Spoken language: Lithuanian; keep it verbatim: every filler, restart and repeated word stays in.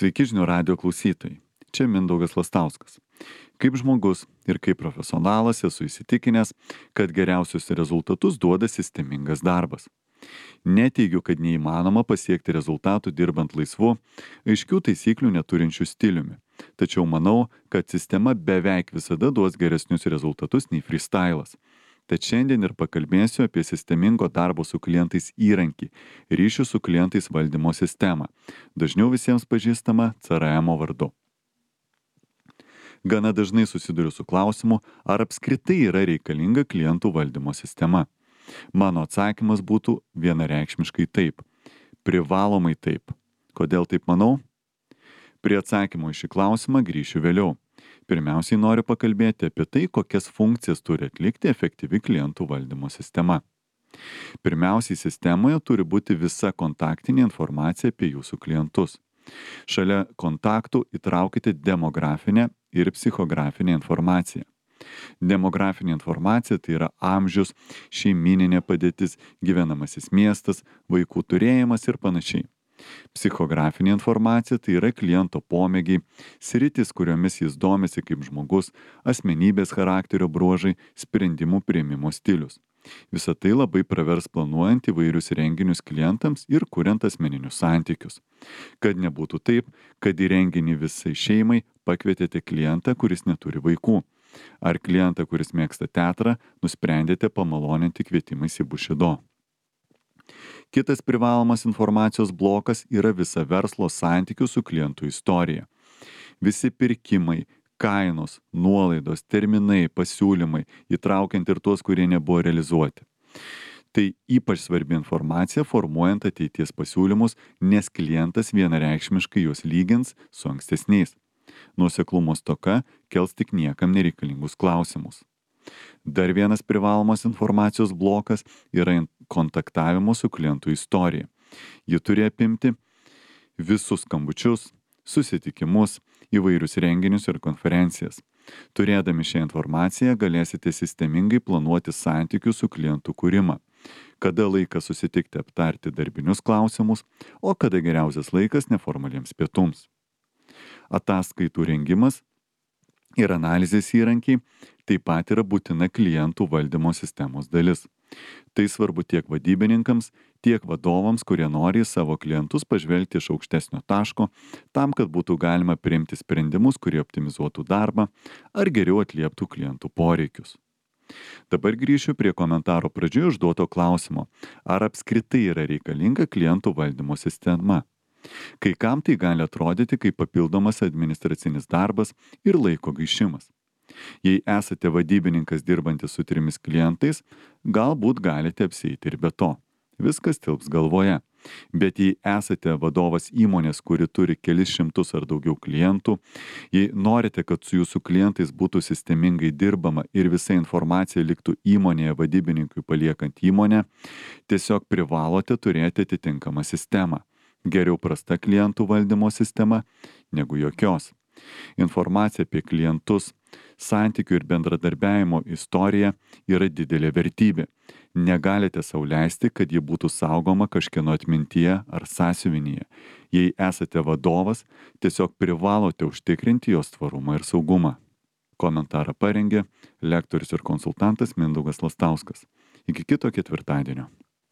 Sveiki žinių radijo klausytojai. Čia Mindaugas Lastauskas. Kaip žmogus ir kaip profesionalas esu įsitikinęs, kad geriausius rezultatus duoda sistemingas darbas. Neteigiu, kad neįmanoma pasiekti rezultatų dirbant laisvu, aiškių taisyklių neturinčių stiliumi. Tačiau manau, kad sistema beveik visada duos geresnius rezultatus nei freestylas. Tad šiandien ir pakalbėsiu apie sistemingo darbo su klientais įrankį - ryšių su klientais valdymo sistemą, dažniau visiems pažįstama C R M vardu. Gana dažnai susiduriu su klausimu, ar apskritai yra reikalinga klientų valdymo sistema. Mano atsakymas būtų vienareikšmiškai taip. Privalomai taip. Kodėl taip manau? Prie atsakymo į šį klausimą grįšiu vėliau. Pirmiausiai noriu pakalbėti apie tai, kokias funkcijas turi atlikti efektyvi klientų valdymo sistema. Pirmiausiai, sistemoje turi būti visa kontaktinė informacija apie jūsų klientus. Šalia kontaktų įtraukite demografinę ir psichografinę informaciją. Demografinė informacija tai yra amžius, šeimyninė padėtis, gyvenamasis miestas, vaikų turėjimas ir panašiai. Psichografinė informacija tai yra kliento pomėgiai, sritis, kuriomis jis domisi kaip žmogus, asmenybės charakterio bruožai, sprendimų priėmimo stilius. Visą tai labai pravers planuojant įvairius renginius klientams ir kuriant asmeninius santykius. Kad nebūtų taip, kad į renginį visai šeimai pakvietėte klientą, kuris neturi vaikų. Ar klientą, kuris mėgsta teatrą, nusprendėte pamaloninti kvietimais į bušido. Kitas privalomas informacijos blokas yra visa verslo santykių su klientų istorija. Visi pirkimai, kainos, nuolaidos, terminai, pasiūlymai, įtraukiant ir tuos, kurie nebuvo realizuoti. Tai ypač svarbi informacija formuojant ateities pasiūlymus, nes klientas vienareikšmiškai juos lygins su ankstesniais. Nuoseklumo stoka kels tik niekam nereikalingus klausimus. Dar vienas privalomas informacijos blokas yra kontaktavimo su klientų istorija. Ji turi apimti visus skambučius, susitikimus, įvairius renginius ir konferencijas. Turėdami šią informaciją galėsite sistemingai planuoti santykių su klientų kūrimą. Kada laikas susitikti aptarti darbinius klausimus, o kada geriausias laikas neformaliems pietums. Ataskaitų rengimas ir analizės įrankiai taip pat yra būtina klientų valdymo sistemos dalis. Tai svarbu tiek vadybininkams, tiek vadovams, kurie nori į savo klientus pažvelgti iš aukštesnio taško, tam, kad būtų galima priimti sprendimus, kurie optimizuotų darbą ar geriau atlieptų klientų poreikius. Dabar grįšiu prie komentaro pradžioje užduoto klausimo, ar apskritai yra reikalinga klientų valdymo sistema. Kai kam tai gali atrodyti kaip papildomas administracinis darbas ir laiko gaišimas. Jei esate vadybininkas dirbantis su trimis klientais, galbūt galite apsieiti ir be to. Viskas tilps galvoje. Bet jei esate vadovas įmonės, kuri turi kelis šimtus ar daugiau klientų, jei norite, kad su jūsų klientais būtų sistemingai dirbama ir visa informacija liktų įmonėje vadybininkui paliekant įmonę, tiesiog privalote turėti atitinkamą sistemą. Geriau prasta klientų valdymo sistema negu jokios. Informacija apie klientus, santykių ir bendradarbiavimo istorija yra didelė vertybė. Negalite sau leisti, kad ji būtų saugoma kažkieno atmintyje ar sąsiuvinyje. Jei esate vadovas, tiesiog privalote užtikrinti jos tvarumą ir saugumą. Komentarą parengė lektorius ir konsultantas Mindaugas Lastauskas. Iki kito ketvirtadienio.